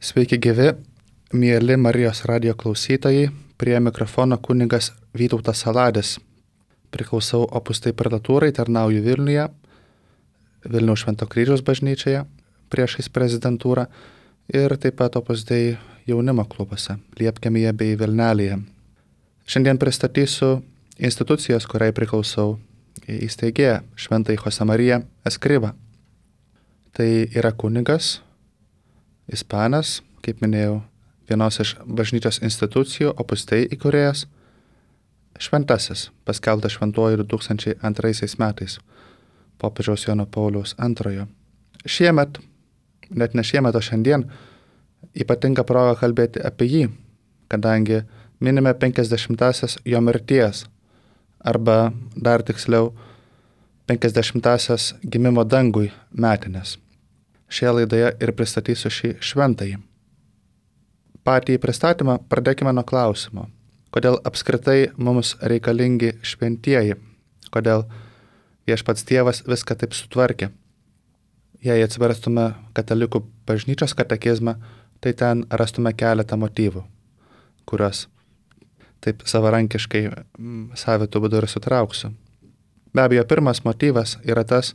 Sveiki gyvi, mieli Marijos radijo klausytojai, prie mikrofono kunigas Vytautas Saladis. Priklausau Opus Dei parlatūrai, tarnauju Vilniuje, Vilniaus Švento Kryžiaus bažnyčioje, priešais prezidentūrą ir taip pat Opus Dei jaunimo klubuose, Liepkalnyje bei Vilnelėje. Šiandien pristatysiu institucijos, kuriai priklausau, įsteigėją Šventąjį Josemariją Eskribą. Tai yra kunigas, ispanas, kaip minėjau, vienos iš bažnyčios institucijų, Opus Dei įkūrėjas, šventasis, paskelbtas šventuoju 2002 metais, popiežiaus Jono Pauliaus II. Šiemet, net ne šiemet, o šiandien, ypatinga proga kalbėti apie jį, kadangi minime 50-asias jo mirties, arba dar tiksliau 50-asias gimimo dangui metinės. Šioje laidoje ir pristatysiu šį šventąjį. Patį pristatymą pradėkime nuo klausimo. Kodėl apskritai mums reikalingi šventieji? Kodėl viešpats Dievas viską taip sutvarkė? Jei atsiverstume katalikų bažnyčios katekizmą, tai ten rastume keletą motyvų, kuriuos taip savarankiškai savitų būdų ir sutrauksiu. Be abejo, pirmas motyvas yra tas,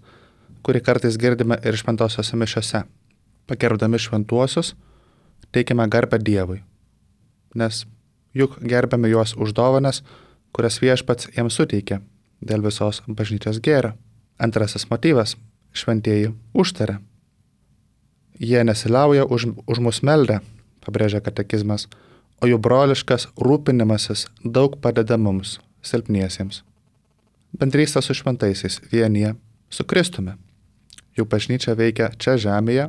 kurį kartais girdime ir šventosiose mišiose. Pagerbdami šventuosius, teikiame garbę Dievui, nes juk gerbiame juos už dovanas, kurias viešpats jiems suteikė dėl visos bažnyčios gėrio. Antrasis motyvas – šventieji užtaria. Jie nesiliauja už mus meldę, pabrėžia katekizmas, o jų broliškas rūpinimasis daug padeda mums, silpniesiems. Bendrystė su šventaisiais vienyje su Kristumi. Jų bažnyčia veikia čia žemėje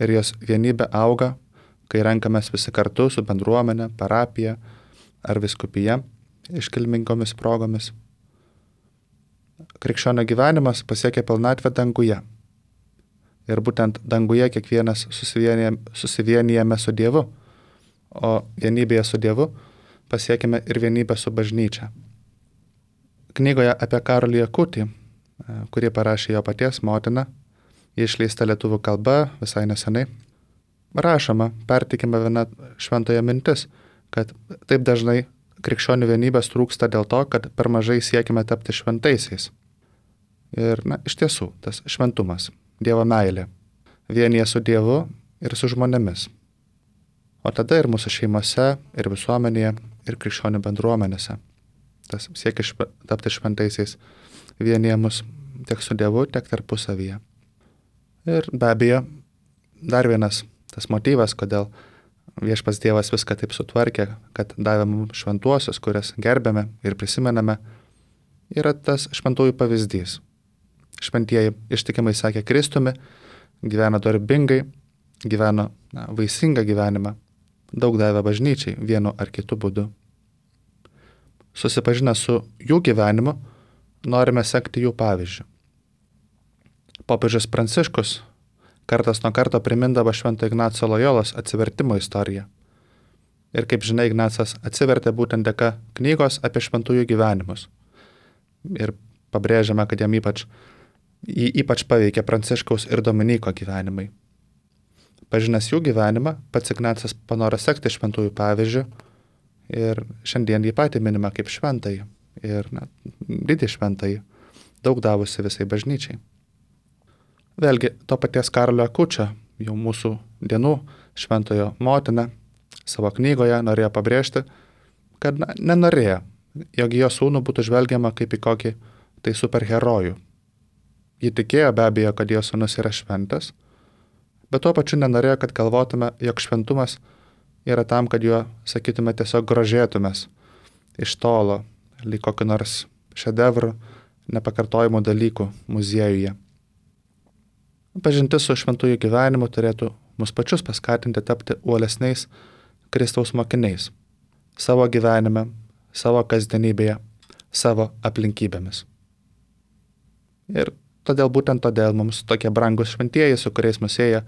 ir jos vienybė auga, kai renkamės visi kartu su bendruomenė, parapija ar vyskupija iškilmingomis progomis. Krikščionio gyvenimas pasiekia pilnatvę danguje. Ir būtent danguje kiekvienas susivienijame su Dievu, o vienybėje su Dievu pasiekime ir vienybę su bažnyčia. Knygoje apie Karolį Akutį, kurį parašė jo paties motina, ji išleista lietuvių kalba visai nesenai, rašoma, pertikima viena šventojo mintis, kad taip dažnai krikščionių vienybės trūksta dėl to, kad per mažai siekime tapti šventaisiais. Ir, iš tiesų, tas šventumas, Dievo meilė, vienyje su Dievu ir su žmonėmis. O tada ir mūsų šeimose, ir visuomenėje, ir krikščionių bendruomenėse. Tas siekis tapti šventaisiais vienyje mus tiek su Dievu, tiek tarpusavyje. Ir be abejo, dar vienas tas motyvas, kodėl viešpats Dievas viską taip sutvarkė, kad davė mums šventuosius, kurias gerbėme ir prisimename, yra tas šventųjų pavyzdys. Šventieji ištikimai sekė Kristumi, gyveno darbingai, gyveno vaisingą gyvenimą, daug davė bažnyčiai vienu ar kitu būdu. Susipažinę su jų gyvenimu, norime sekti jų pavyzdžių. Popiežius Pranciškus kartas nuo karto primindavo Švento Ignaco Lojolos atsivertimo istoriją. Ir kaip žinia, Ignacas atsivertė būtent dėka knygos apie šventųjų gyvenimus. Ir pabrėžiame, kad jį ypač paveikė Pranciškaus ir Dominyko gyvenimai. Pažinęs jų gyvenimą, pats Ignacas panoro sekti šventųjų pavyzdžių ir šiandien jį patį minima kaip šventąjį ir didį šventąjį, daug davusi visai bažnyčiai. Vėlgi, to paties Karolio Akučio, jau mūsų dienų šventojo motina, savo knygoje norėjo pabrėžti, kad nenorėjo, jog jo sūnų būtų žvelgiama kaip į kokį tai superherojų. Ji tikėjo be abejo, kad jo sūnus yra šventas, bet tuo pačiu nenorėjo, kad galvotume, jog šventumas yra tam, kad juo, sakytume, tiesiog grožėtumės iš tolo, lyg kokiu nors šedevrų, nepakartojimų dalykų muziejuje. Pažintis su šventųjų gyvenimu turėtų mus pačius paskatinti tapti uolesniais Kristaus mokiniais savo gyvenime, savo kasdienybėje, savo aplinkybėmis. Ir būtent todėl mums tokie brangus šventieji, su kuriais mus sieja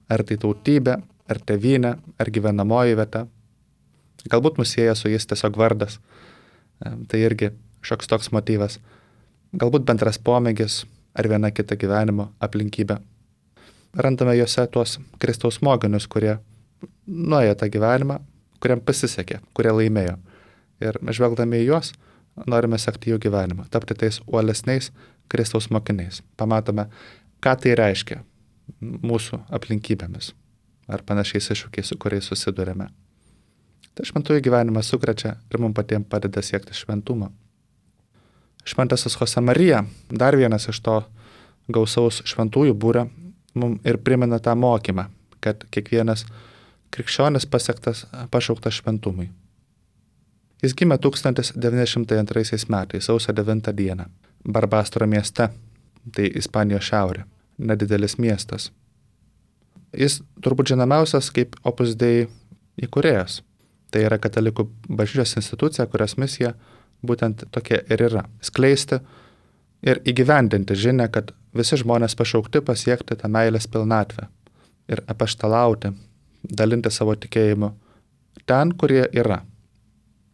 ar tai tautybė, ar tėvynė, ar gyvenamoji vieta. Galbūt mus sieja su jais tiesiog vardas. Tai irgi šioks toks motyvas. Galbūt bendras pomėgis ar viena kita gyvenimo aplinkybė. Randame juose tuos Kristaus mokinius, kurie nuėjo tą gyvenimą, kuriam pasisekė, kurie laimėjo. Ir žvelgdami į juos, norime sekti jų gyvenimą, tapti tais uolesniais Kristaus mokiniais. Pamatome, ką tai reiškia mūsų aplinkybėmis ar panašiais iššūkiais, su kuriais susidurėme. Tai šventųjų gyvenimas sukrečia ir mums patiems padeda siekti šventumą. Šventasis Josemarija, dar vienas iš to gausaus šventųjų būrio, mums ir primena tą mokymą, kad kiekvienas krikščionis pasiektas pašauktas šventumui. Jis gimė 1902 metais, sausio 9 dieną, Barbastro mieste, tai Ispanijos šiaurė, nedidelis miestas. Jis turbūt žinomiausias kaip Opus Dei įkūrėjas. Tai yra katalikų bažnyčios institucija, kurios misija būtent tokia ir yra – skleisti ir įgyvendinti žinią, kad visi žmonės pašaukti pasiekti tą meilės pilnatvę ir apaštalauti, dalinti savo tikėjimu ten, kurie yra,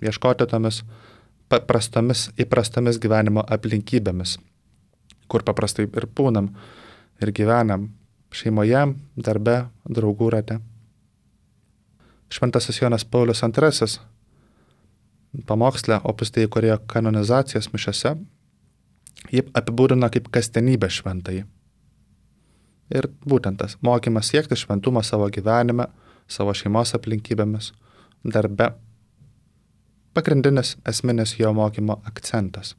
ieškoti tomis paprastomis, įprastomis gyvenimo aplinkybėmis, kur paprastai ir būnam ir gyvenam šeimoje, darbe, draugų rate. Šventasis Jonas Paulius II pamoksle Opus Dei įkūrėjo kanonizacijos mišiose, jį apibūdino kaip kasdienybę šventąjį. Ir būtent tas mokymas siekti šventumą savo gyvenime, savo šeimos aplinkybėmis, darbe, pagrindinis esminis jo mokymo akcentas.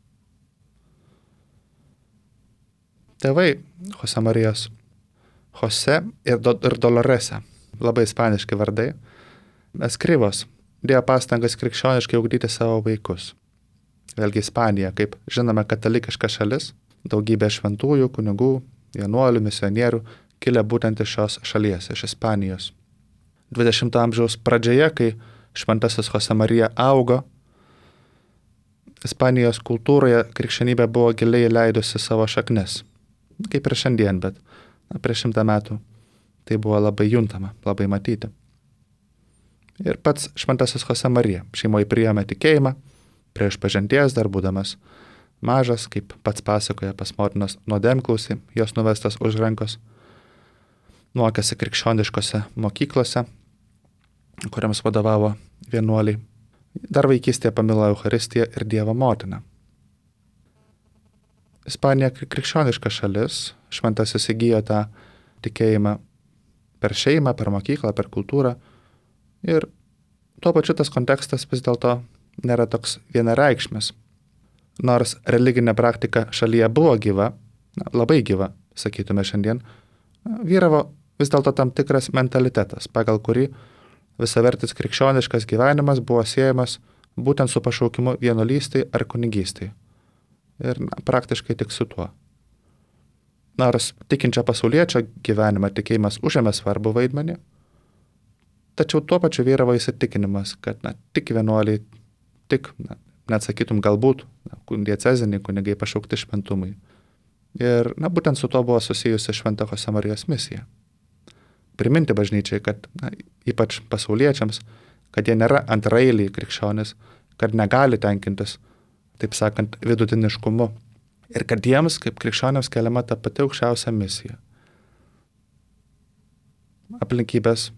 Tėvai Josemarijos, Jose ir Dolorese, labai ispaniški vardai, Eskrivos dėjo pastangas krikščioniškai ugdyti savo vaikus. Vėlgi Ispanija, kaip žinome, katalikiška šalis, daugybė šventųjų, kunigų, vienuolių, misionierių kilę būtent iš šios šalies, iš Ispanijos. 20 amžiaus pradžioje, kai šventasis Josemarija augo, Ispanijos kultūroje krikščionybė buvo giliai leidusi savo šaknis. Kaip ir šiandien, bet prieš 100 metų tai buvo labai juntama, labai matyti. Ir pats šventasis Josemarija šeimoje priėmė tikėjimą, prie išpažinties dar būdamas mažas, kaip pats pasakoja pas motinos nuodėmklausį, jos nuvestas už rankos, mokėsi krikščioniškose mokyklose, kuriams vadovavo vienuoliai. Dar vaikystėje pamilo Eucharistiją ir Dievo motiną. Ispanija krikščioniška šalis, šventasis įgijo tą tikėjimą per šeimą, per mokyklą, per kultūrą. Ir tuo pačiu tas kontekstas vis dėlto nėra toks vienareikšmis. Nors religinė praktika šalyje buvo gyva, labai gyva, sakytume šiandien, vyravo vis dėlto tam tikras mentalitetas, pagal kurį visavertis krikščioniškas gyvenimas buvo siejamas būtent su pašaukimu vienuolystei ar kunigystei. Ir praktiškai tik su tuo. Nors tikinčio pasauliečio gyvenimą tikėjimas užėmė svarbų vaidmenį, tačiau tuo pačiu vyravo įsitikinimas, kad tik vienuoliai, tik, net sakytum, galbūt dieceziniai kunigai pašaukti šventumui. Ir būtent su to buvo susijusi Švento Josemarijos misija. Priminti bažnyčiai, kad ypač pasauliečiams, kad jie nėra antraeiliai krikščionys, kad negali tenkintis, taip sakant, vidutiniškumu. Ir kad jiems, kaip krikščionėms, keliama ta pati aukščiausia misija. Aplinkybės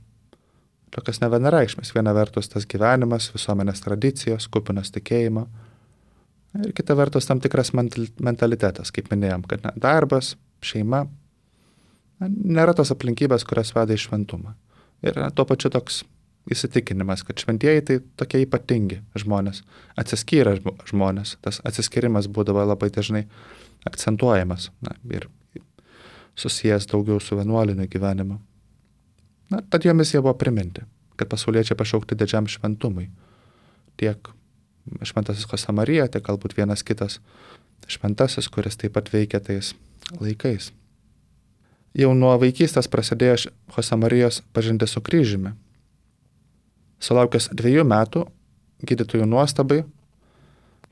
tokios nevienareikšmės. Viena vertus tas gyvenimas, visuomenės tradicijos, kupinas tikėjimo. Ir kita vertus tam tikras mentalitetas, kaip minėjom, kad darbas, šeima, nėra tos aplinkybės, kurios veda į šventumą. Ir tuo pačiu toks įsitikinimas, kad šventieji tai tokie ypatingi žmonės, atsiskyrę žmonės. Tas atsiskyrimas būdavo labai dažnai akcentuojamas ir susijęs daugiau su vienuoliniu gyvenimu. Tad jo misija buvo priminti, kad pasauliečiai pašaukti didžiam šventumui. Tiek šventasis Josemarija, tiek galbūt vienas kitas šventasis, kuris taip pat veikia tais laikais. Jau nuo vaikystės prasidėjo Josemarijos pažintis su kryžiumi. Sulaukęs 2 metų, gydytojų nuostabai,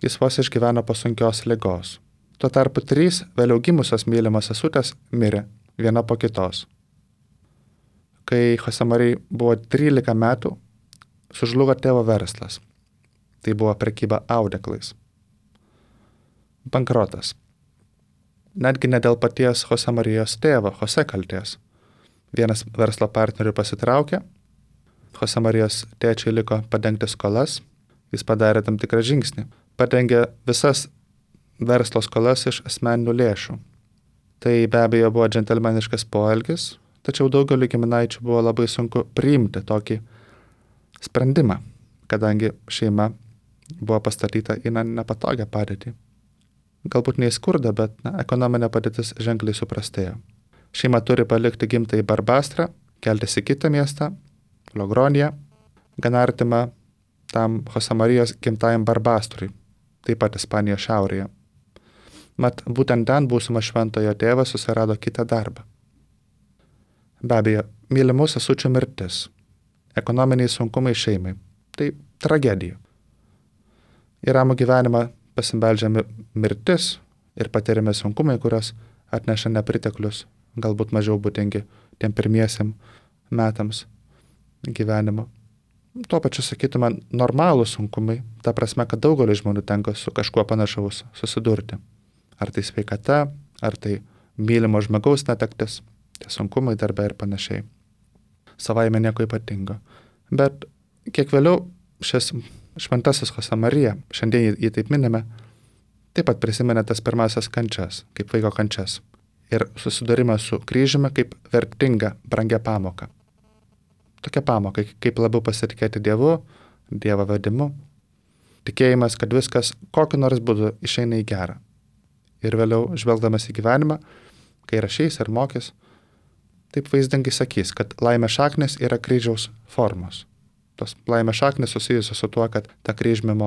jis vos išgyveno po sunkios ligos. Tuo tarpu 3 vėliau gimusios mylimos sesutės mirė, viena po kitos. Kai Josemarijai buvo 13 metų, sužlugo tėvo verslas. Tai buvo prekyba audeklais. Bankrotas. Netgi ne dėl paties Josemarijos tėvo, Jose kaltės. Vienas verslo partnerių pasitraukė Jose Marijos tėčiai liko padengti skolas, jis padarė tam tikrą žingsnį. Padengė visas verslo skolas iš asmeninių lėšų. Tai be abejo buvo džentelmeniškas poelgis, tačiau daugeliu giminaičių buvo labai sunku priimti tokį sprendimą, kadangi šeima buvo pastatyta į nepatogią padėtį. Galbūt ne į skurdą, bet ekonominė padėtis ženkliai suprastėjo. Šeima turi palikti gimtąjį Barbastrą, keltis į kitą miestą, Logroniją, gana artimą tam Jose Marijos gimtajam Barbastrui, taip pat Ispanijos šiaurėje. Mat, būtent ten būsimas šventojo tėvas susirado kitą darbą. Be abejo, mylimų sesučių mirtis, ekonominiai sunkumai šeimai, tai tragedija. Į ramų gyvenimą pasibeldžia mirtis ir patiriami sunkumai, kurios atneša nepriteklius, galbūt mažiau būdingi tiem pirmiesiam metams gyvenimo. Tuo pačiu sakytume normalūs sunkumai, ta prasme, kad daugelis žmonių tenka su kažkuo panašaus susidurti. Ar tai sveikata, ar tai mylimo žmogaus netektis, tie sunkumai darbe ir panašiai. Savaime nieko ypatingo. Bet kiek vėliau šis šventasis Jose Marija, šiandien jį taip minime, taip pat prisiminė tas pirmasias kančias, kaip vaiko kančias. Ir susidūrimą su kryžiumi kaip vertinga, brangia pamoka. Tokia pamoka, kaip labiau pasitikėti Dievu, Dievo vedimu. Tikėjimas, kad viskas kokiu nors būdu išeina į gerą. Ir vėliau, žvelgdamas į gyvenimą, kai rašys ir mokys, taip vaizdingai sakys, kad laimės šaknis yra kryžiaus formos. Tos laimės šaknis susijusios su tuo, kad tą kryžmį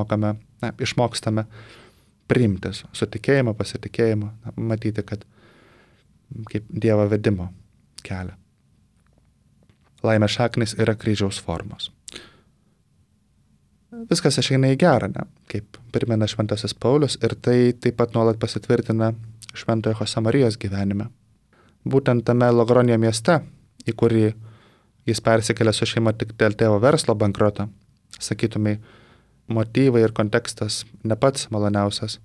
išmokstame priimti su tikėjimu, pasitikėjimu, matyti, kad kaip Dievo vedimo kelią. Laimės šaknis yra kryžiaus formos. Viskas išeina į gerą, kaip primena šventasis Paulius, ir tai taip pat nuolat pasitvirtina šventojo Jose Marijos gyvenime. Būtent tame Logronije mieste, į kurį jis persikėlė su šeima tik dėl tėvo verslo bankroto, sakytumai, motyvai ir kontekstas ne pats maloniausias,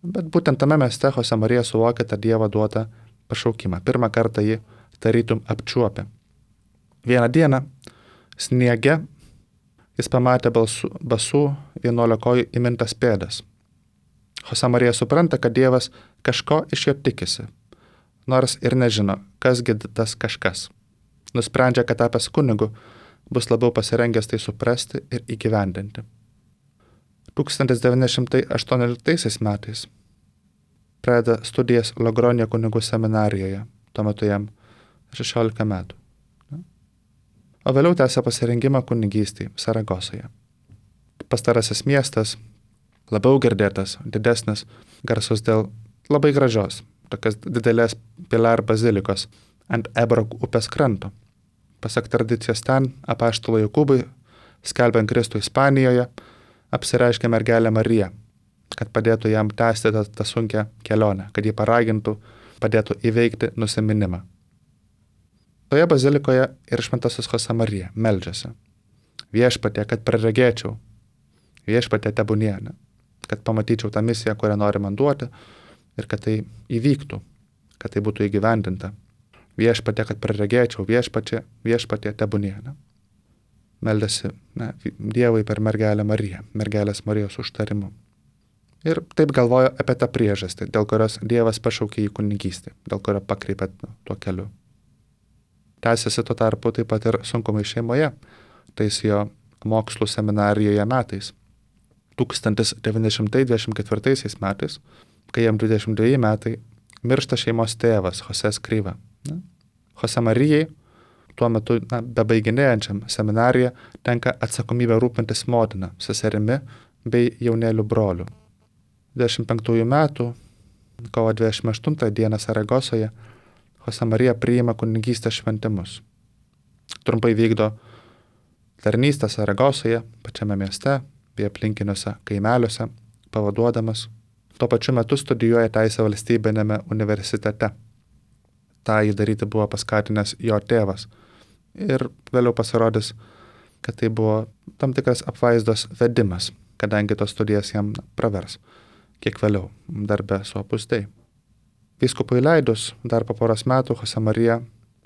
bet būtent tame mieste Jose Marija suvokė tą Dievo duotą pašaukimą. Pirmą kartą jį tarytum apčiuopė. Vieną dieną sniege jis pamatė basų vienuolikojų įmintas pėdas. Jose Marija supranta, kad Dievas kažko iš jo tikisi, nors ir nežino, kasgi tas kažkas. Nusprendžia, kad tapęs kunigu bus labiau pasirengęs tai suprasti ir įgyvendinti. 1918 metais pradeda studijas Logronijo kunigų seminarijoje, tuo metu jam 16 metų. O vėliau tęsė pasirengimą kunigystei Saragosoje. Pastarasis miestas, labiau girdėtas, didesnis, garsus dėl labai gražios, tokios didelės Pilar bazilikos ant Ebro upės kranto. Pasak tradicijos ten, apaštalo Jokūbui, skelbiant Kristų Ispanijoje, apsireiškė mergelė Marija, kad padėtų jam tęsti tą sunkią kelionę, kad jį paragintų, padėtų įveikti nusiminimą. Toje bazilikoje ir šventasis Jose Marija meldžiasi. Viešpatie, kad praregėčiau, viešpatie tebūnie, kad pamatyčiau tą misiją, kurią nori man duoti ir kad tai įvyktų, kad tai būtų įgyvendinta. Viešpatie, kad praregėčiau, viešpatie tebūnie. Meldėsi Dievui per mergelę Mariją, mergelės Marijos užtarimu. Ir taip galvojo apie tą priežastį, dėl kurios Dievas pašaukė į kunigystę, dėl kurio pakreipė tuo keliu. Tęsiasi tuo tarpu taip pat ir sunkumai šeimoje, tais jo mokslų seminarijoje metais. 1924 metais, kai jam 22 metai, miršta šeimos tėvas Jose Escriva. Jose Marijai, tuo metu bebaiginėjančiam seminariją, tenka atsakomybė rūpintis motina, seserimi bei jaunėlių brolių. 25 metų, kovo 28 dieną Saragosoje, Jose Marija priima kunigystės šventimus. Trumpai vykdo tarnystę Saragosoje, pačiame mieste, bei aplinkiniuose kaimeliuose, pavaduodamas. Tuo pačiu metu studijuoja teisę valstybinėme universitete. Ta jį daryti buvo paskatinęs jo tėvas. Ir vėliau pasirodys, kad tai buvo tam tikras apvaizdos vedimas, kadangi tos studijas jam pravers. Kiek vėliau, darbe su Opus Dei. Vyskupui leidus, dar po poros metų Jose Marija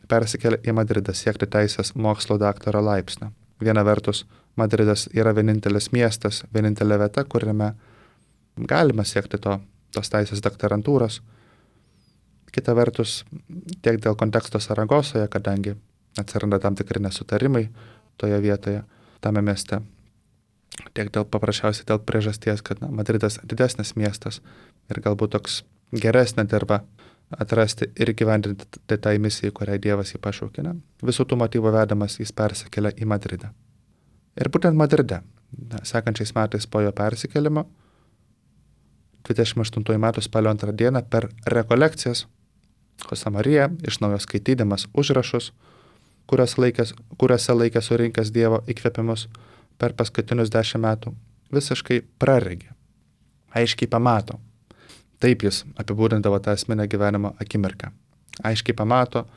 persikėlė į Madridą siekti teisės mokslo daktaro laipsnio. Viena vertus, Madridas yra vienintelis miestas, vienintelė vieta, kuriame galima siekti tos teisės doktorantūros. Kita vertus, tiek dėl konteksto Saragosoje, kadangi atsiranda tam tikri nesutarimai toje vietoje, tame mieste, tiek paprasčiausiai dėl priežasties, kad Madridas didesnis miestas ir galbūt toks geresnė dirba atrasti ir gyvendinti tai misijai, kuriai Dievas jį pašaukė. Visų tų motyvų vedamas jis persikėlė į Madridą. Ir būtent Madride, sekančiais metais po jo persikėlimo, 28 metų spalio 2 dieną per rekolekcijas Jose Marija iš naujo skaitydamas užrašus, kuriuose laikė surinkęs Dievo įkvėpimus per paskutinius 10 metų, visiškai praregi, aiškiai pamato. Taip jis apibūdindavo tą esminę gyvenimo akimirką. Aiškiai pamato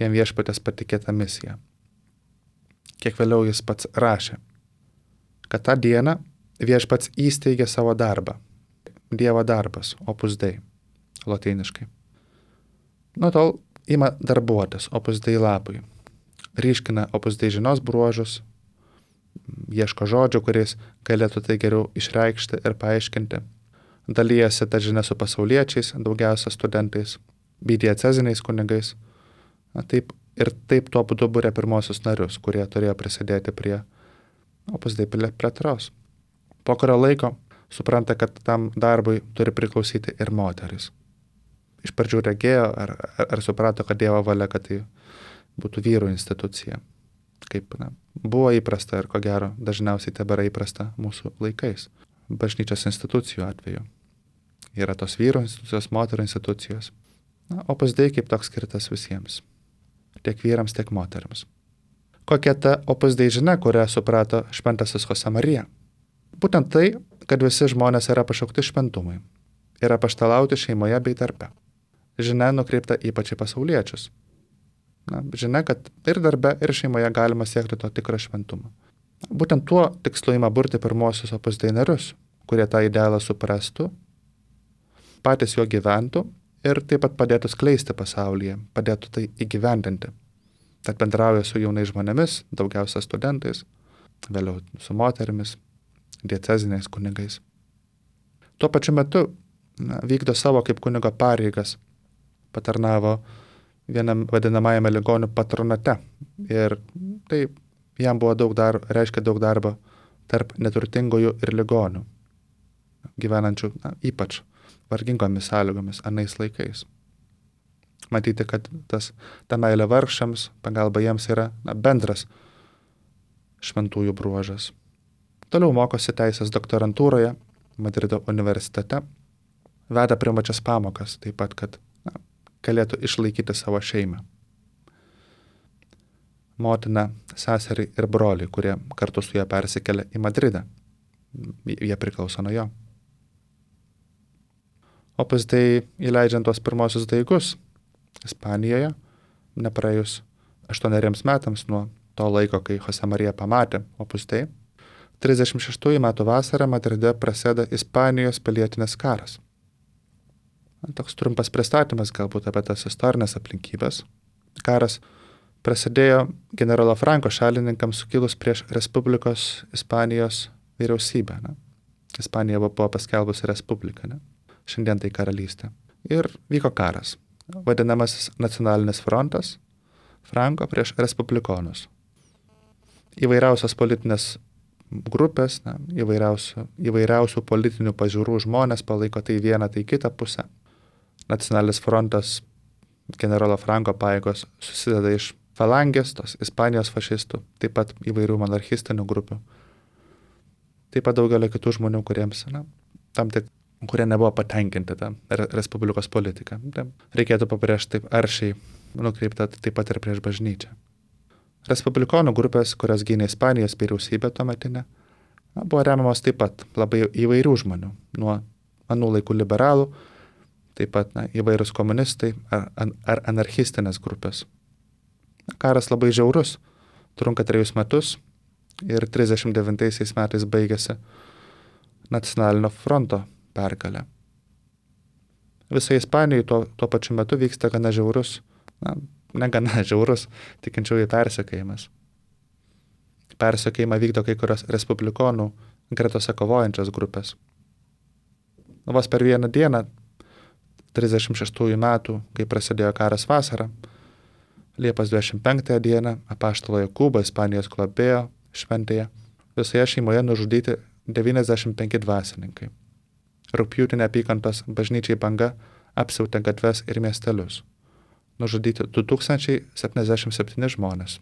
jam viešpatės patikėtą misiją. Kiek vėliau jis pats rašė, kad tą dieną viešpats įsteigė savo darbą. Dievo darbas, opus dei, lotyniškai. Nuo tol ima darbuotis opus dei labui. Ryškina opus dei žinos bruožus, ieško žodžių, kuriais galėtų tai geriau išreikšti ir paaiškinti. Dalyjasi tą žinią su pasauliečiais, daugiausia studentais, bei dieceziniais kunigais. Taip tuo būdu būrė pirmosius narius, kurie turėjo prisidėti prie opus dei plėtros. Po kurio laiko supranta, kad tam darbui turi priklausyti ir moteris. Iš pradžių regėjo ar suprato, kad Dievo valia, kad tai būtų vyrų institucija. Kaip buvo įprasta ir ko gero dažniausiai tebėra įprasta mūsų laikais. Bažnyčios institucijų atveju. Yra tos vyrų institucijos, moterų institucijos. Opus dei kaip toks skirtas visiems. Tiek vyrams, tiek moteriams. Kokia ta opus dei žinia, kurią suprato šventasis Jose Marija? Būtent tai, kad visi žmonės yra pašaukti šventumui. Ir apaštalauti šeimoje bei darbe. Žinia nukreipta ypač į pasauliečius. Žinia, kad ir darbe, ir šeimoje galima siekti to tikro šventumo. Būtent tuo tikslu ima burti pirmosius opus dei narius, kurie tą idealą suprastų, patys juo gyventų ir taip pat padėtų skleisti pasaulyje, padėtų tai įgyvendinti. Tad bendrauja su jaunais žmonėmis, daugiausia studentais, vėliau su moterimis, dieceziniais kunigais. Tuo pačiu metu vykdo savo kaip kunigo pareigas, patarnavo vienam vadinamajame ligonių patronate ir tai jam buvo reiškia daug darbo tarp neturtingųjų ir ligonių, gyvenančių ypač vargingomis sąlygomis anais laikais. Matyti, kad ta meilė vargšams, pagalba jiems yra bendras šventųjų bruožas. Toliau mokosi teisės doktorantūroje Madrido universitete, veda privačias pamokas, taip pat, kad galėtų išlaikyti savo šeimą. Motina, seserį ir broliai, kurie kartu su juo persikėlė į Madridą. Jie priklauso nuo jo. Opus dei įleidžiant tuos pirmosius daigus Ispanijoje, nepraėjus 8 metams nuo to laiko, kai Jose Marija pamatė opus dei, 36 metų vasarą Madride prasideda Ispanijos pilietinis karas. Toks trumpas pristatymas galbūt apie tas istorinės aplinkybės. Karas prasidėjo generolo Franko šalininkams sukilus prieš Respublikos Ispanijos vyriausybę. Ispanija buvo paskelbusi respubliką, šiandien tai karalystė. Ir vyko karas, vadinamasis nacionalinis frontas, Franko prieš respublikonus. Įvairiausios politinės grupės, įvairiausių politinių pažiūrų žmonės palaiko tai vieną, tai kitą pusę. Nacionalinis frontas, generolo Franko pajėgos susideda iš falangės, tos Ispanijos fašistų, taip pat įvairių monarchistinių grupių. Taip pat daugelio kitų žmonių, kurie nebuvo patenkinti tą respublikos politiką. Reikėtų pabrėžti taip aršiai nukreipta taip pat ir prieš bažnyčią. Respublikonų grupės, kurios gynė Ispanijos vyriausybę tuometinę, buvo remiamos taip pat labai įvairių žmonių, nuo anų laikų liberalų, taip pat įvairūs komunistai ar anarchistinės grupės. Karas labai žiaurus, trunka 3 metus ir 39 metais baigėsi nacionalinio fronto pergalė. Visoje Ispanijoje tuo pačiu metu vyksta gana žiaurus negana žiaurus tikinčiųjų persekiojimas. Persekiojimą vykdo kai kurios respublikonų gretose kovojančios grupės. Vos per vieną dieną, 36 metų, kai prasidėjo karas vasarą, Liepos 25 dieną apaštalo Jokūbo Ispanijos globėjo šventėje visoje šeimoje nužudyti 95 dvasininkai. Rugpjūtį neapykantos bažnyčiai banga apsiautė gatves ir miestelius. Nužudyti 2077 žmonės.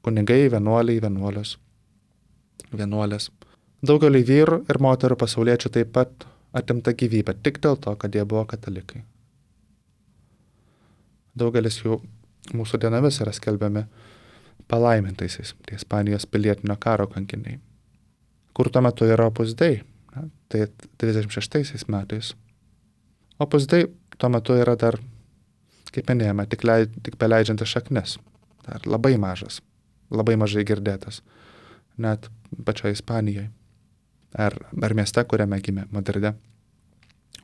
Kunigai, vienuoliai, vienuolės. Daugeliui vyrų ir moterų pasauliečių taip pat atimta gyvybė tik dėl to, kad jie buvo katalikai. Daugelis jų mūsų dienomis yra skelbiami palaimintaisiais, tai Ispanijos pilietinio karo kankiniai. Kur tuo metu yra Opus Dei? Tai 36 metais. Opus Dei tuo metu yra dar, kaip minėjome, tik beleidžiantis šaknis. Dar labai mažas, labai mažai girdėtas. Net pačioje Ispanijoje. Ar mieste, kuriame gimė Madride.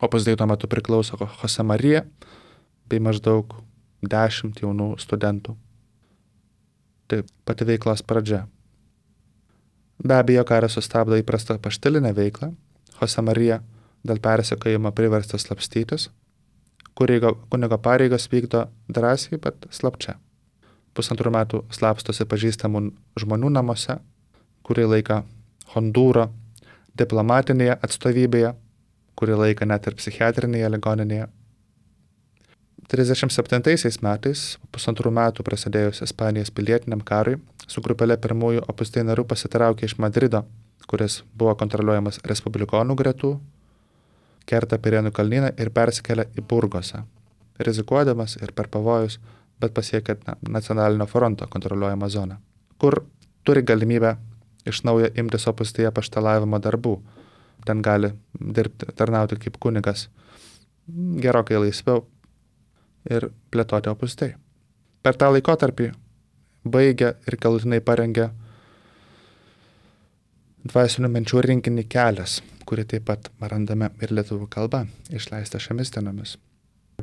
Opus Dei tuo metu priklauso Jose Marija bei maždaug 10 jaunų studentų. Tai pati veiklos pradžia. Be abejo, karas sustabdo įprastą paštilinę veiklą. Jose Marija dėl persekiojimo priverstas slapstytis. Kunigo pareigas vykdo drąsiai, bet slapčia. 1,5 metų slapstosi pažįstamų žmonių namuose, kurį laiką Hondūro diplomatinėje atstovybėje, kurį laiką net ir psichiatrinėje ligoninėje. 37 metais, 1,5 metų prasidėjus Ispanijos pilietiniam karui, su grupelė pirmųjų Opus Dei narių pasitraukė iš Madrido, kuris buvo kontroliuojamas respublikonų gretų, kerta Pirenų kalnyną ir persikelia į Burgosą, rizikuodamas ir per pavojus, bet pasiekė nacionalinio fronto kontroliuojamą zoną, kur turi galimybę iš naujo imtis Opus Dei apaštalavimo darbų. Ten gali dirbti, tarnauti kaip kunigas gerokai laisviau ir plėtoti Opus Dei. Per tą laikotarpį baigė ir galutinai parengė dvasinių minčių rinkinį Kelias, kurį taip pat randame ir lietuvių kalba, išleista šiomis dienomis.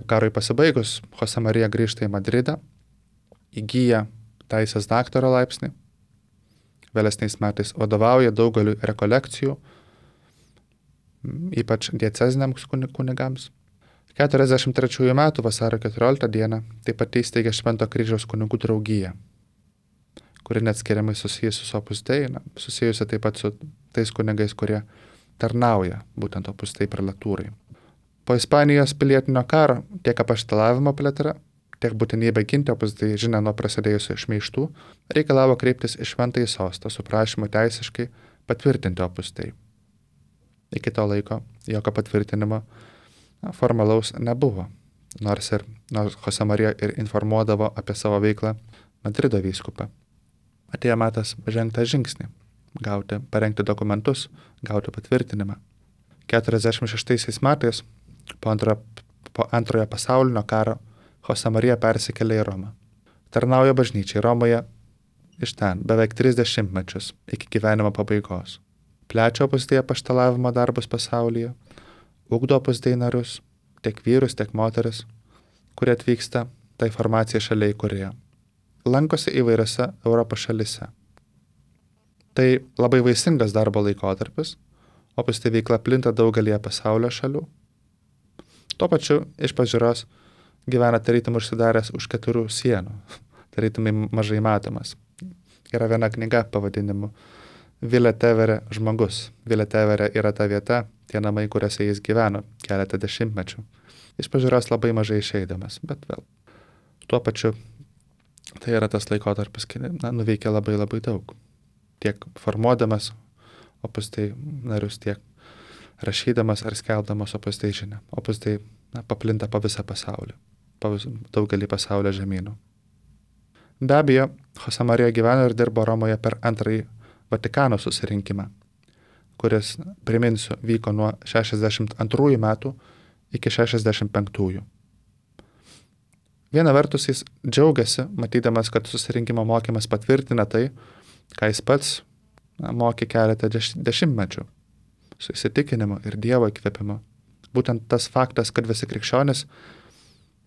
Karui pasibaigus, Jose Marija grįžta į Madridą, įgyja teisės daktaro laipsnį, vėlesniais metais vadovauja daugeliu rekolekcijų, ypač dieceziniams kunigams. 43 metų vasario 14 dieną taip pat įsteigė Švento kryžiaus kunigų draugiją, kuri neatskiriamai susijusi su Opus Dei, susijusi taip pat su tais kunigais, kurie tarnauja būtent Opus Dei prelatūrai. Po Ispanijos pilietinio karo tiek apaštalavimo plėtra, tiek būtinybė ginti Opus Dei žinią nuo prasidėjusių šmeižtų reikalavo kreiptis į Šventąjį sostą su prašymu teisiškai patvirtinti Opus Dei. Iki to laiko jokio patvirtinimo formalaus nebuvo, nors Jose Marija ir informuodavo apie savo veiklą Madrido vyskupą. Atėjo metas žengti žingsnį, parengti dokumentus, gauti patvirtinimą. 46 metais po antrojo pasaulinio karo Jose Marija persikėlė į Romą. Tarnauja bažnyčiai Romoje iš ten beveik 30 mečius iki gyvenimo pabaigos. Plečia Opus Dei apaštalavimo darbus pasaulyje, ugdo Opus Dei narius, tiek vyrus, tiek moteris, kurie atvyksta tai formacija šalia įkūrėjo. Lankosi įvairiose Europos šalyse. Tai labai vaisingas darbo laikotarpis, Opus Dei veikla plinta daugelį pasaulio šalių. Tuo pačiu iš pažiūros gyvena tarytum užsidaręs už 4 sienų, tarytumai mažai matomas. Yra viena knyga pavadinimu Villa Tevere žmogus. Villa Tevere yra ta vieta, tie namai, kuriuose jis gyveno keletą dešimtmečių. Iš pažiūros labai mažai išeidamas, bet vėl. Tuo pačiu tai yra tas laikotarpis, kai nuveikia labai labai daug. Tiek formuodamas Opus Dei narius, tiek rašydamas ar skelbdamas Opus Dei žinią. Opus Dei paplinta po visą pasaulį, po daugelį pasaulio žemynų. Be abejo, Jose Marija gyveno ir dirbo Romoje per antrąjį Vatikano susirinkimą, kuris, priminsiu, vyko nuo 62 metų iki 65. Viena vertus jis džiaugiasi, matydamas, kad susirinkimo mokymas patvirtina tai, ką jis pats mokė keletą dešimtmečių, su įsitikinimu ir Dievo įkvėpimu. Būtent tas faktas, kad visi krikščionys,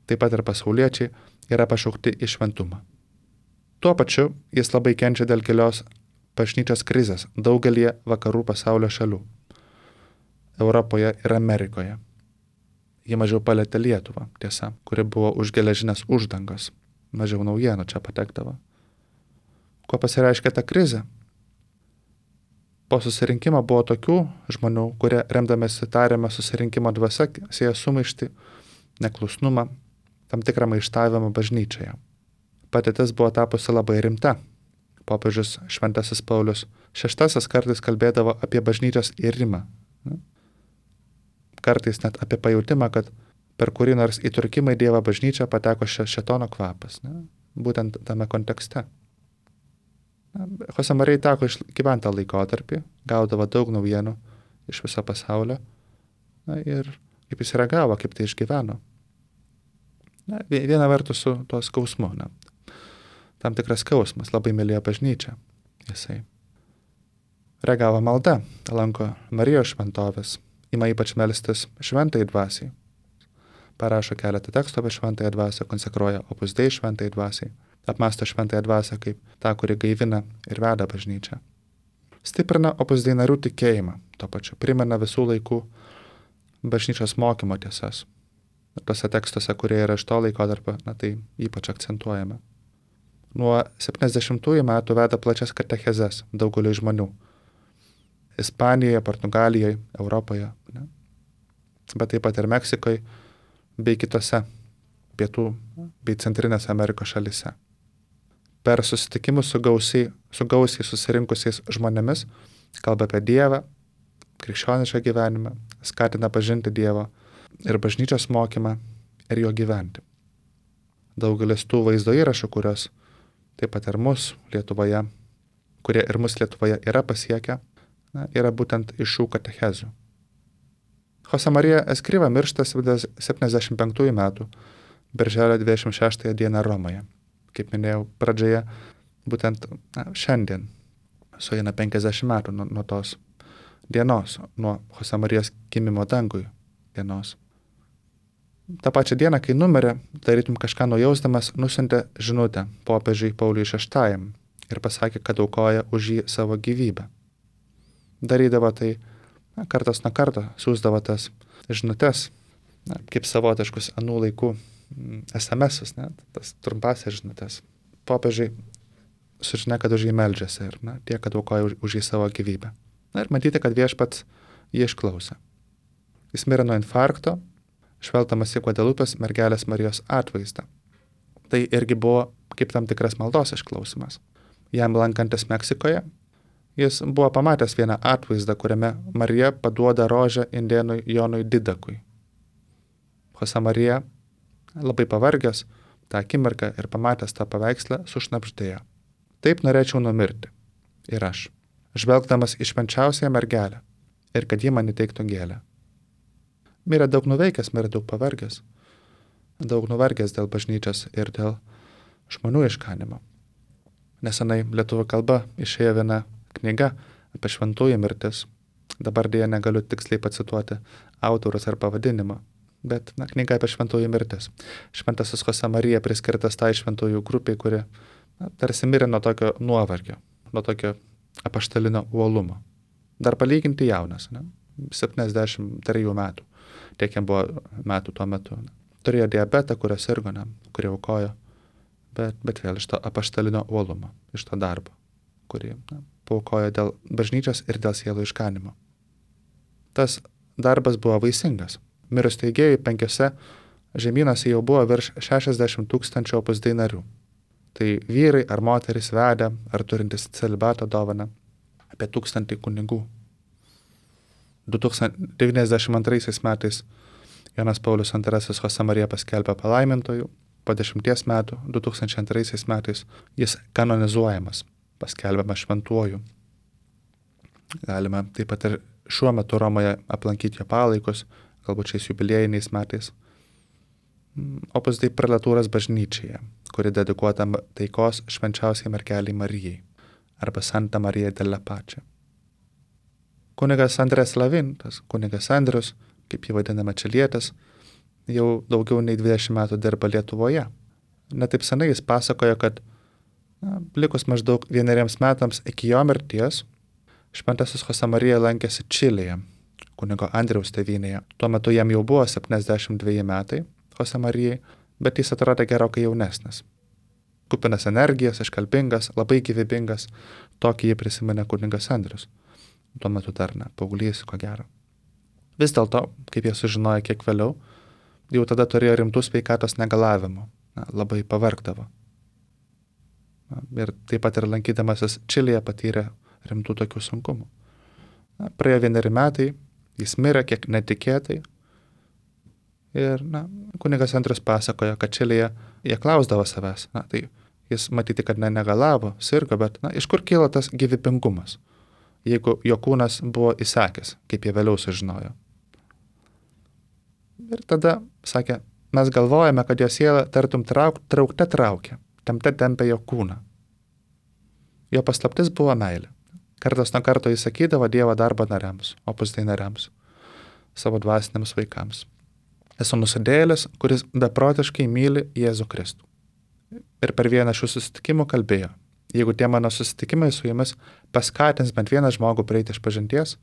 taip pat ir pasauliečiai, yra pašaukti į šventumą. Tuo pačiu jis labai kenčia dėl gilios bažnyčios krizės daugelį vakarų pasaulio šalių – Europoje ir Amerikoje. Ji mažiau palietė Lietuvą, tiesa, kuri buvo už geležinės uždangos, mažiau naujienų čia patekdavo. Kuo pasireiškia ta krizė? Po susirinkimo buvo tokių žmonių, kurie remdamėsi tariamą susirinkimo dvasia sieja sumaištį, neklusnumą, tam tikrą maištavimą bažnyčioje. Patirtis buvo tapusi labai rimta. Popiežius Šventasis Paulius VI kartais kalbėdavo apie bažnyčios irimą. Kartais net apie pajautimą, kad per kurį nors įturkimą į Dievą bažnyčią pateko šėtono kvapas. Būtent tame kontekste. Jose Marijai teko išgyventi tą laikotarpį, gaudavo daug naujienų iš viso pasaulio ir kaip jis reagavo, kaip tai išgyveno. Viena vertus su tuo skausmu. Tam tikras skausmas, labai mylėjo bažnyčią. Jisai reagavo malda, lanko Marijos šventovės, ima ypač melstis šventai dvasiai. Parašo keletą tekstų apie šventąją dvasią, konsekruoja Opus Dei šventai dvasiai, apmąsto šventąją dvasią kaip tą, kuri gaivina ir veda bažnyčią. Stiprina Opus Dei narių tikėjimą, tuo pačiu primena visų laikų bažnyčios mokymo tiesas. Tuose tekstuose, kurie yra iš to laikotarpio, tai ypač akcentuojame. Nuo 70-ųjų metų veda plačias katechezes daugeliui žmonių. Ispanijoje, Portugalijoje, Europoje, bet taip pat ir Meksikoje bei kitose pietų bei Centrinės Amerikos šalyse. Per susitikimus su gausiai susirinkusiais žmonėmis kalba apie Dievą, krikščionišką gyvenimą, skatina pažinti Dievą ir bažnyčios mokymą ir jo gyventi. Daugelis tų vaizdo įrašų, kurios taip pat ir mus Lietuvoje, kurie ir mus Lietuvoje yra pasiekę, yra būtent iš šių katechezių. Jose Marija Escriva miršta 75 metų, birželio 26 dieną Romoje. Kaip minėjau pradžioje, būtent šiandien sueina 50 metų nuo tos dienos, nuo Jose Marijos gimimo dangui dienos. Ta pačia diena, kai numirė, tarytum kažką nujausdamas, nusiuntė žinutę popiežiui Pauliui VI ir pasakė, kad aukoja už jį savo gyvybę. Darydavo tai kartas nuo karto, siųsdavo tas žinutes, kaip savotiškus anų laikų SMS-us, tas trumpasias žinutes. Popiežiai sužinė, kad už jį meldžiasi ir tie, kad aukoja už jį savo gyvybę. Ir matyti, kad viešpats jį išklausė. Jis mirė nuo infarkto, švelgdamas į Guadelupės mergelės Marijos atvaizdą. Tai irgi buvo kaip tam tikras maldos išklausimas. Jam lankantis Meksikoje, jis buvo pamatęs vieną atvaizdą, kuriame Marija paduoda rožę indėnui Jonui Didakui. Jose Marija, labai pavargęs tą akimirką ir pamatęs tą paveikslą, sušnabždėjo. Taip norėčiau numirti. Ir aš, žvelgdamas į švenčiausiąją mergelę, ir kad ji man įteiktų gėlę. Mirė daug nuveikęs, mirė daug pavargęs. Daug nuvargęs dėl bažnyčios ir dėl žmonių išganimo. Nesenai lietuvių kalba išėjo viena knyga apie šventųjų mirtis. Dabar dėja negaliu tiksliai pacituoti autorius ar pavadinimą, bet knyga apie šventųjų mirtis. Šventasis Jose Marija priskirtas tai šventųjų grupiai, kuri tarsi mirė nuo tokio nuovargio, nuo tokio apaštalinio uolumo. Dar palyginti jaunas, 73 metų. Tiek jam buvo metų tuo metu. Turėjo diabetą, kurio sirgo, kurį aukojo, bet vėl iš to apaštalinio uolumo, iš to darbo, kurį paaukojo dėl bažnyčios ir dėl sielų išganimo. Tas darbas buvo vaisingas. Mirus teigėjui 5 žemynuose jau buvo virš 60 000 Opus Dei narių. Tai vyrai ar moterys vedę, ar turintis celibato dovaną, apie 1000 kunigų. 1992 metais Jonas Paulius II Jose Marija paskelbė palaimintojų, po 10 metų, 2002 metais, jis kanonizuojamas, paskelbiamas šventuoju. Galime taip pat ir šiuo metu Romoje aplankyti jo palaikus, galbūt šiais jubiliejiniais metais. Opus Dei prelatūros bažnyčioje, kuri dedikuota taikos švenčiausiai mergeliai Marijai, arba Santa Marija della Pace. Kunigas Andrės Lavin, tas kunigas Andrius, kaip jį vadiname čilietis, jau daugiau nei 20 metų dirba Lietuvoje. netaip senai jis pasakojo, kad likus maždaug 1 metams iki jo mirties, šventasis Josemarija lankėsi Čilėje, kunigo Andriaus tėvynėje. Tuo metu jam jau buvo 72 metai Josemarijai, bet jis atrodė gerokai jaunesnis. Kupinas energijos, iškalbingas, labai gyvybingas, tokį jį prisiminė kunigas Andrius. Tuo metu dar paauglys, ko gero. Vis dėlto, kaip jie sužinojo kiek vėliau, jau tada turėjo rimtų sveikatos negalavimų, labai pavargdavo. Ir taip pat ir lankydamasis Čilėje patyrė rimtų tokių sunkumų. Praėjo 1 metai, jis mirė kiek netikėtai. Ir kunigas Andrius pasakojo, kad Čilėje jie klausdavo savęs. Tai jis matyti, kad negalavo, sirgo, bet iš kur kyla tas gyvybingumas, jeigu jo kūnas buvo įsakęs, kaip jie vėliau sužinojo. Ir tada sakė, mes galvojame, kad jo siela tartum traukte traukia, tempia jo kūną. Jo paslaptis buvo meilė. Kartas nuo karto jis sakydavo Dievo darbo nariams, opus dei nariams, savo dvasiniams vaikams. Esu nusidėjėlis, kuris beprotiškai myli Jėzų Kristų. Ir per vieną šių susitikimų kalbėjo, jeigu tie mano susitikimai su jumis paskatins bent vieną žmogų prieiti išpažinties,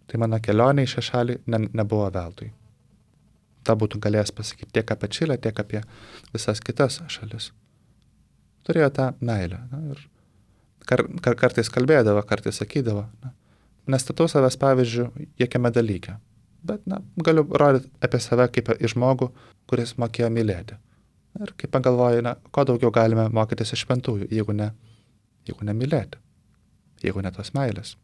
tai mano kelionė į šią šalį nebuvo veltui. Ta būtų galėjęs pasakyti tiek apie Čilę, tiek apie visas kitas šalis. Turėjo tą meilę. Ir kartais kalbėdavo, kartais sakydavo. Nestatau savęs pavyzdžių jokiame dalyke, bet galiu rodyti apie save kaip į žmogų, kuris mokėjo mylėti. Ir kaip pagalvoju, ko daugiau galime mokytis iš šventųjų, jeigu ne mylėti, jeigu ne tos meilės.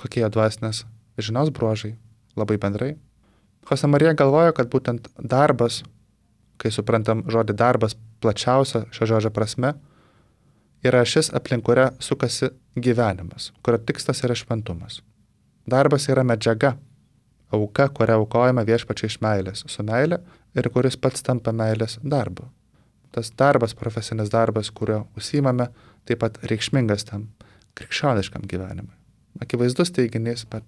Kokie dvasinės žinios bruožai, labai bendrai. Josemarija galvojo, kad būtent darbas, kai suprantam žodį darbas plačiausia šio žodžio prasme, yra šis aplink kurią sukasi gyvenimas, kurio tikslas yra šventumas. Darbas yra medžiaga, auka, kurią aukojame viešpačiai iš meilės, su meilė ir kuris pats tampa meilės darbu. Tas darbas, profesinis darbas, kurio užsiimame, taip pat reikšmingas tam krikščioniškam gyvenimui. Akivaizdus teiginys, bet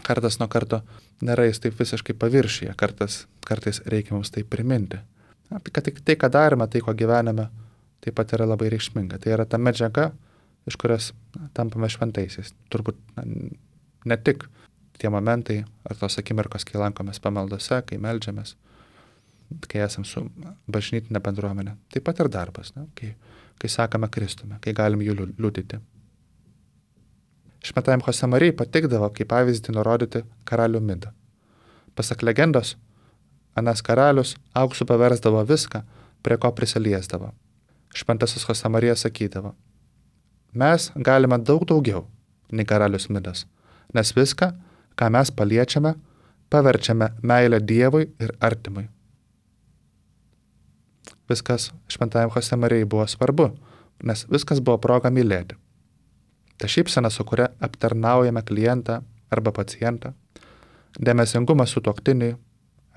kartas nuo karto nėra jis taip visiškai paviršyje, kartais reikia mums tai priminti. Kad tai, ką darome, tai, ko gyvename, taip pat yra labai reikšminga. Tai yra ta medžiaga, iš kurios tampame šventaisiais. Turbūt ne tik tie momentai ar tos akimirkos, kai lankomės pamaldose, kai meldžiamės, kai esam su bažnytinė bendruomenė. Taip pat ir darbas, kai sakame Kristume, kai galim jų liudyti. Šventajam Josemarijai patikdavo kaip pavyzdį nurodyti karalių Midą. Pasak legendos, anas karalius auksu paversdavo viską, prie ko prisiliesdavo. Šventasis Josemarija sakydavo, mes galime daug daugiau nei karalius Midas, nes viską, ką mes paliečiame, paverčiame meilę Dievui ir artimui. Viskas šventajam Josemarijai buvo svarbu, nes viskas buvo proga mylėti. Ta šypsena, su kuria aptarnaujame klientą arba pacientą, dėmesingumas sutuoktiniui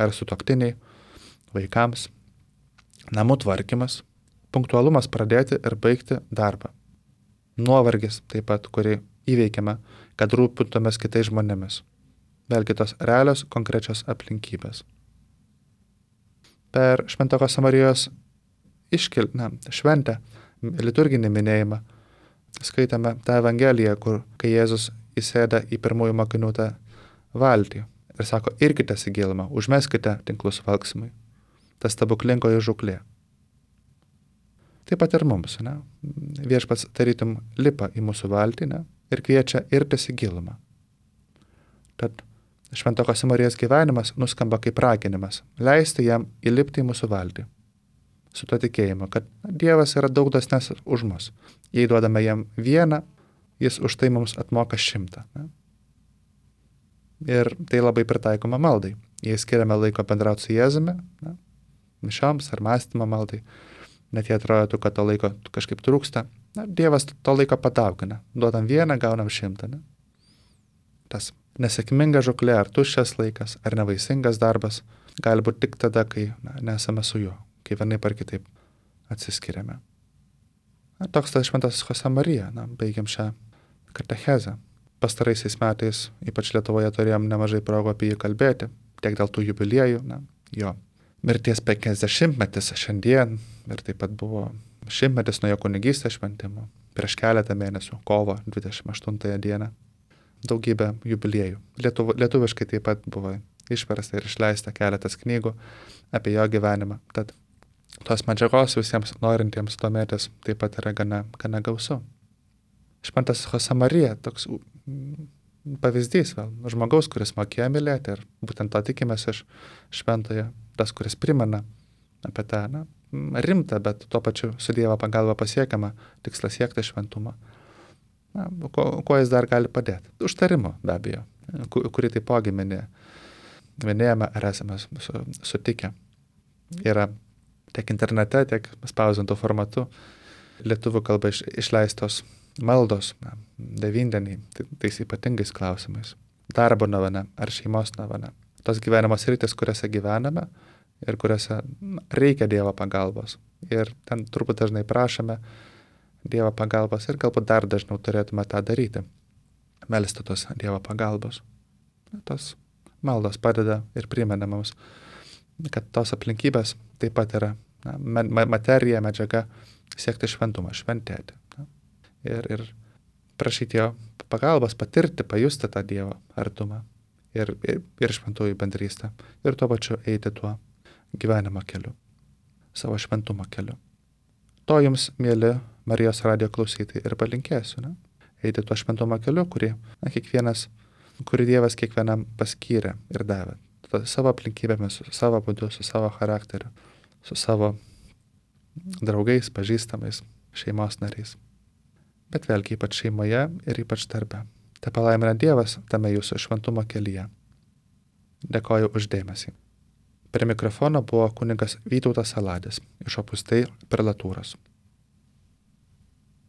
ar sutuoktiniai, vaikams, namų tvarkymas, punktualumas pradėti ir baigti darbą. Nuovargis taip pat, kurį įveikiame, kad rūpintumės kitais žmonėmis. Vėlgi tos realios, konkrečios aplinkybės. Per Švento Josemarijos šventę, liturginį minėjimą, skaitame tą Evangeliją, kur kai Jėzus įsėda į pirmųjų mokinių tą valtį ir sako, irkitės į gilumą, užmeskite tinklus valksmui. Tas stebuklingoji žūklė. Taip pat ir mums, viešpats tarytum lipa į mūsų valtį ir kviečia irtis į gilumą. Tad Švento Josemarijos gyvenimas nuskamba kaip raginimas, leisti jam įlipti į mūsų valtį. Su to tikėjimu, kad Dievas yra daug dosnesnis už mus. Jei duodame jam 1, jis už tai mums atmoka 100. Ir tai labai pritaikoma maldai. Jei skiriame laiko bendrauti su Jėzumi, mišioms ar mąstymo maldai, net jei atrodo, kad to laiko kažkaip trūksta, Dievas to laiko padaugina. Duodam 1, gaunam 100. Tas nesėkminga žūklė, ar tuščias laikas, ar nevaisingas darbas, gali būti tik tada, kai nesame su juo, kai vienaip ar kitaip atsiskiriame. Toks tas Šventasis Josemarija, baigiam šią katechezę. Pastaraisiais metais, ypač Lietuvoje, turėjom nemažai progų apie jį kalbėti, tiek dėl tų jubiliejų, jo mirties 50-metis šiandien ir taip pat buvo 100-metis nuo jo kunigystės šventimo prieš keletą mėnesių, kovo 28 dieną. Daugybė jubiliejų. Lietuviškai taip pat buvo išversta ir išleista keletas knygų apie jo gyvenimą. Tad tos medžiagos visiems norintiems domėtis taip pat yra gana gausu. Šventas Josemarija, toks pavyzdys vėl, žmogaus, kuris mokėjo mylėti ir būtent to tikimės iš šventojo, tas, kuris primena apie tą rimtą, bet tuo pačiu su Dievo pagalba pasiekiamą tikslą siekti šventumą. Kuo jis dar gali padėti? Užtarimo be abejo, kurį taipogi minėjome ar esame sutikę. Yra tiek internete, tiek spausdintų formatu lietuvių kalba išleistos maldos, devyndeniai, tais ypatingais klausimais. Darbo novena ar šeimos novena. Tos gyvenimo sritis, kuriuose gyvename ir kuriuose reikia Dievo pagalbos. Ir ten turbūt dažnai prašome Dievo pagalbos ir galbūt dar dažniau turėtume tą daryti. Melsti tos Dievo pagalbos. Tos maldos padeda ir primena mums, kad tos aplinkybės taip pat yra materija, medžiaga siekti šventumą, šventėti. Ir prašyti jo pagalbos patirti, pajusti tą Dievo artumą ir šventųjų bendrystę. Ir tuo pačiu eiti tuo gyvenimo keliu, savo šventumo keliu. To jums, mėly Marijos radijo klausytojai, ir palinkėsiu. Eiti tuo šventumo keliu, kurį Dievas kiekvienam paskyrė ir davė. Savo aplinkybėmis, su savo būdu, su savo charakteriu, su savo draugais, pažįstamais, šeimos nariais. Bet vėlgi ypač šeimoje ir ypač darbe. Te palaimina Dievas tame jūsų šventumo kelyje. Dėkoju už dėmesį. Prie mikrofono buvo kunigas Vytautas Saladis iš Opus Dei prelatūros.